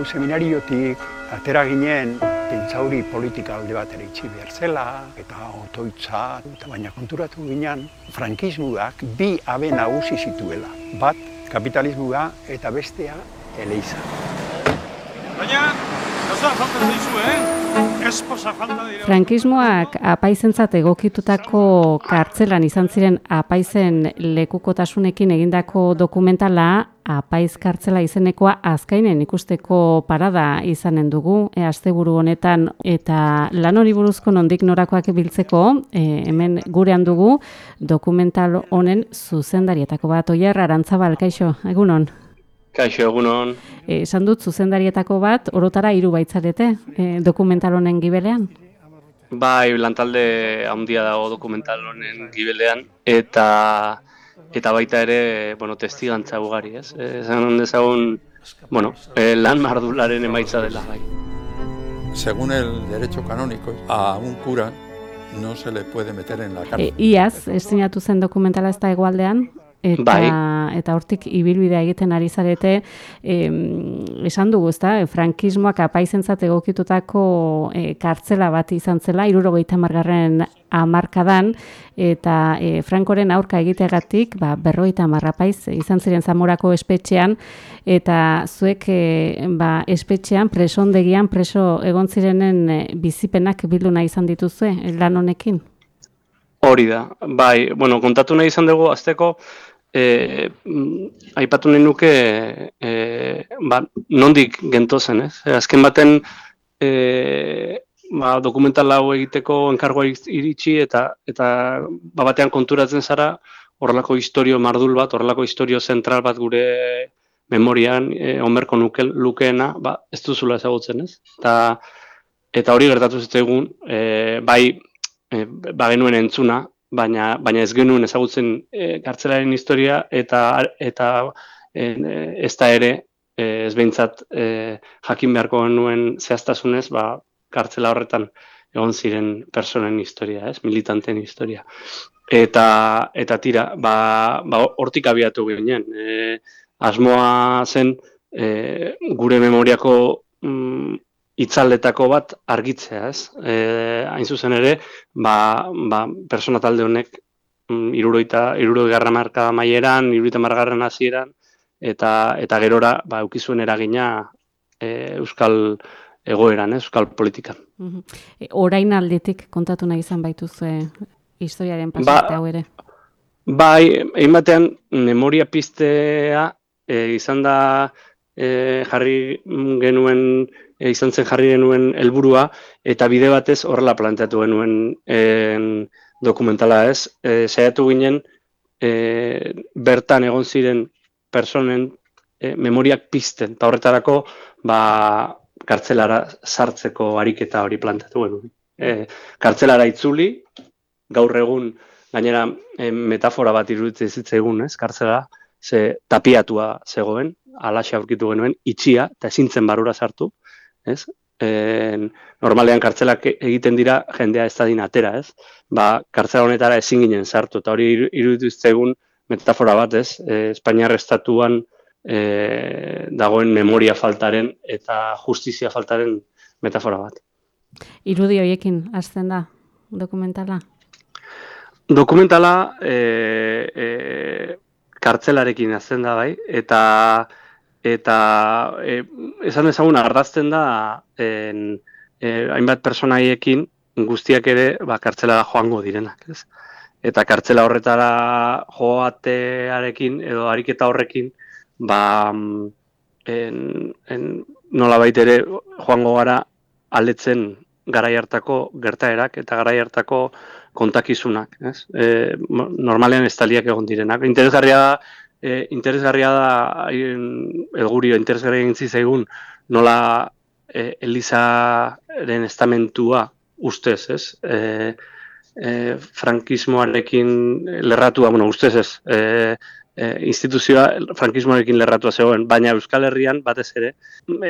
seminariotik atera ginen pentsauri politika alde batera itxi behar zela, eta otoitza, baina konturatu ginen frankismoak bi habe nagusi zituela. Bat, kapitalismoa eta bestea eleiza. Baina, gauza falta zaizu, Esposa falta dira. Frankismoak apaizentzat egokitutako kartzelan izan ziren apaizen lekukotasunekin egindako dokumentala, apaiz kartzela izenekoa azkainen ikusteko parada izanen dugu, asteburu honetan, eta lan hori buruzko nondik norakoak biltzeko, hemen gurean dugu dokumental honen zuzendarietako bat. Oier Arantzabal, kaixo, egunon? Kaixo, egunon. Esan dut zuzendarietako bat, orotara 3 baitzarete, dokumental honen gibelean? Bai, lantalde handia dago dokumental honen gibelean, eta baita ere, testigantza ugari, ez? Esan dezagun, lan mardularen emaitza dela, bai. Según el derecho canónico, a un cura no se le puede meter en la cárcel. Iaz, estrenatu zen dokumentala ez da Hegoaldean? Eta hortik ibilbidea egiten ari zarete, esan dugu, ezta, frankismoak apaizentzat egokitutako kartzela bat izan zela, 70. hamarkadan, eta Frankoren aurka egiteagatik, 50 apaiz izan ziren Zamorako espetxean, eta zuek espetxean, presondegian, preso egon zirenen bizipenak bildu nahi izan dituzue, lan honekin? Hori da, bai, kontatu nahi izan dugu, azteko, aipatu nahi nuke, nondik gentozen, ez? Azken baten, dokumental hau egiteko enkargoa iritsi, eta batean konturatzen zara, horrelako historio mardul bat, horrelako historio zentral bat gure memorian, onberko lukeena, ez duzula ezagutzen, ez? Eta hori gertatu zitzaigun, bagenuen entzuna, baina ez genuen ezagutzen kartzelaren historia eta ez da ere, ez behintzat jakin beharko genuen zehaztasunez, kartzela horretan egon ziren personen historia, ez, militanten historia. Eta tira, hortik abiatu ginen. Asmoa zen gure memoriako itzaldetako bat argitzea, ez? Hain zuzen ere, persona talde honek 60. hamarkada amaieran, 70. hasieran, eta gerora eukizuen eragina euskal egoeran, euskal politikan. Orain aldetik kontatu nahi izan baituzue historiaren pasarte hau ere? Bai, egin batean, memoria piztea izan da izan zen jarri genuen helburua, eta bide batez horrela planteatu genuen dokumentala, ez. Saiatu ginen, bertan egon ziren personen memoriak pizten, eta horretarako kartzelara sartzeko ariketa hori planteatu genuen. Kartzelara itzuli, gaur egun, gainera metafora bat iruditzen zitzaigun, ez, kartzela, ze tapiatua zegoen, alaxe aurkitu genuen, itxia, eta ezintzen barura sartu, ez? Normalean kartzelak egiten dira jendea ez dadin atera, ez? Kartzela honetara ezin ginen sartu, eta hori iruditu zitzaigun metafora bat, ez? Espainiar estatuan dagoen memoria faltaren eta justizia faltaren metafora bat. Irudi horiekin hasten da dokumentala? Dokumentala kartzelarekin hasten da, bai, eta esan ezagun ardazten da hainbat personaiekin guztiak ere kartzelara joango direnak, ez? Eta kartzela horretara joatearekin edo ariketa horrekin nolabait ere joango gara aldetzen garai hartako gertaerak eta garai hartako kontakizunak, ez? Normalean estaliak egon direnak. Interesgarria da elgurio, interesgarria egin zaigun nola Elizaren estamentua ustez, ez? Frankismoarekin lerratua, ustez ez, instituzioa frankismoarekin lerratua zegoen, baina Euskal Herrian batez ere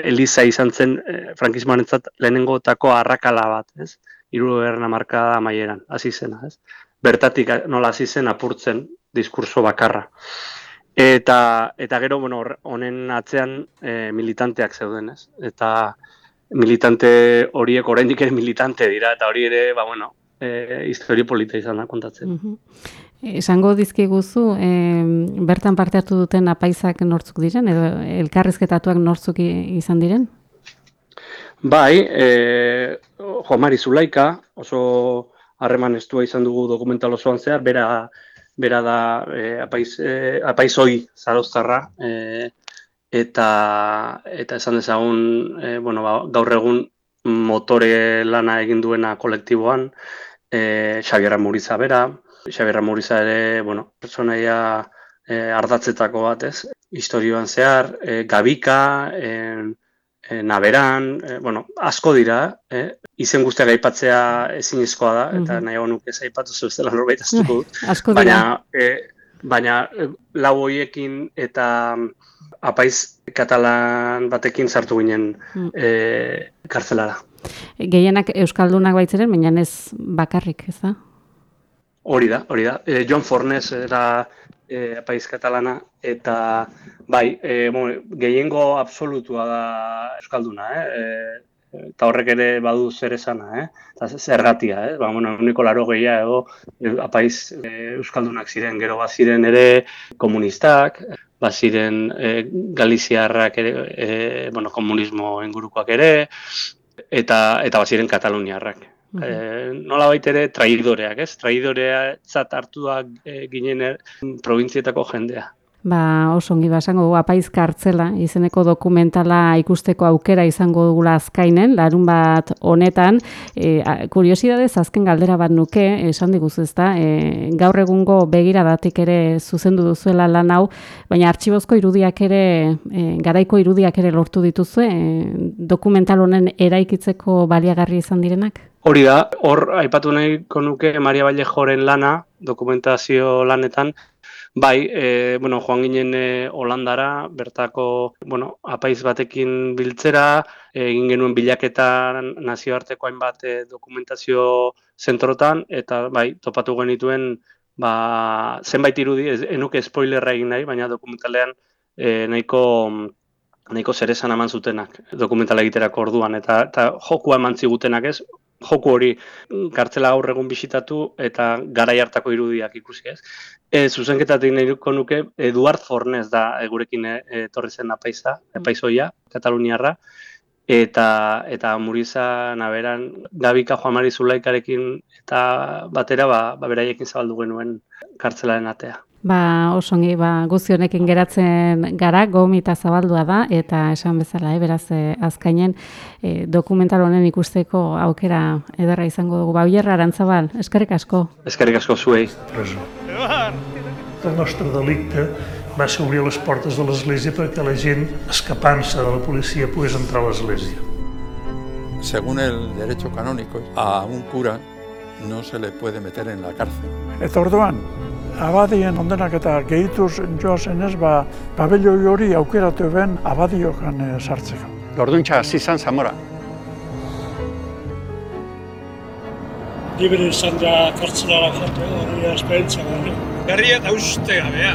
Eliza izan zen frankismoarentzat lehenengotako arrakala bat, ez? 70. hamarkada amaieran, hasi zena, ez? Bertatik nola hasi zen apurtzen diskurso bakarra. Eta gero, bueno, honen atzean militanteak zeuden, ez? Eta militante horiek oraindik ere militante dira, eta hori ere, historia polita izan da kontatzen. Esango dizkiguzu, bertan parte hartu duten apaisak nortzuk diren, edo elkarrizketatuak nortzuk izan diren? Bai, Juan Mari Zulaika, oso harreman estua izan dugu dokumental osoan zehar, bera da apaizoi zarauztarra, eta esan dezagun, gaur egun motore lana egin duena kolektiboan, Xabier Amuriza bera. Xabier Amuriza ere, pertsonaia ardatzetako bat, ez? Historioan zehar, Gabika, Naberan, asko dira, izen guztiak aipatzea ezinezkoa da, eta nahiago nuke ez aipatu zuzela norbait astuko dut. Asko dira. Baina lau horiekin eta apaiz katalan batekin sartu ginen kartzelara. Gehienak euskaldunak baitziren, baina ez bakarrik, ez da? Hori da. Jon Fornes era apaiz katalana, eta bai, gehiengo absolutua da euskalduna, eta horrek ere badu zer esana, eta zergatia, uniko 80 edo apaiz euskaldunak ziren, gero baziren ere komunistak, baziren galiziarrak ere, komunismo ingurukoak ere, eta baziren kataluniarrak. Nolabait ere traidoreak, ez? Traidoreatzat hartuak ginen probintzietako jendea. Oso ongi esango dugu apaiz kartzela izeneko dokumentala ikusteko aukera izango dugula azkainen, larunbat honetan. Kuriosidadez azken galdera bat nuke, esan diguzu ezta, gaur egungo begiradatik ere zuzendu duzuela lan hau, baina artxibozko irudiak ere, garaiko irudiak ere lortu dituzue, dokumental honen eraikitzeko baliagarri izan direnak? Hori da, hor aipatu nahiko nuke Maria Vallejoren lana, dokumentazio lanetan. Bai, joan ginen Holandara, bertako apaiz batekin biltzera, egin genuen bilaketa nazioarteko hainbat dokumentazio zentrotan, eta bai, topatu genituen zenbait irudi, enuke spoilerra egin nahi, baina dokumentalean nahiko zeresan eman zutenak dokumentala egiterako orduan, eta jokua eman zigutenak ez, joku hori kartzela gaur egun bisitatu eta garai hartako irudiak ikusi ez. Zuzenketatik nahiko nuke Eduard Fornes da gurekin etorri zen apaizoia, kataluniarra, eta Amuriza, Naberan, Gabika, Juan Mari Zulaikarekin eta batera beraiekin zabaldu genuen kartzelaren atea. Oso ongi, guzti honekin geratzen gara, gomita zabaldua da, eta esan bezala, beraz, azkainen dokumental honen ikusteko aukera ederra izango dugu. Oierra Arantzabal, eskerrik asko. Eskerrik asko zuei. El nostre delicte va ser obrir les portes de l'església perquè la gent, escapant-se de la policia, pogués entrar a l'església. Según el derecho canónico, a un cura no se le puede meter en la cárcel. Eta orduan, abadien ondenak eta gehituz joazen ez, pabelloi hori aukeratu ben abadiokan sartzeko. Orduntza hasi izan Zamora. Libre izan da kartzelara joatea, hori esperientzia gara. Garria eta uste gabea.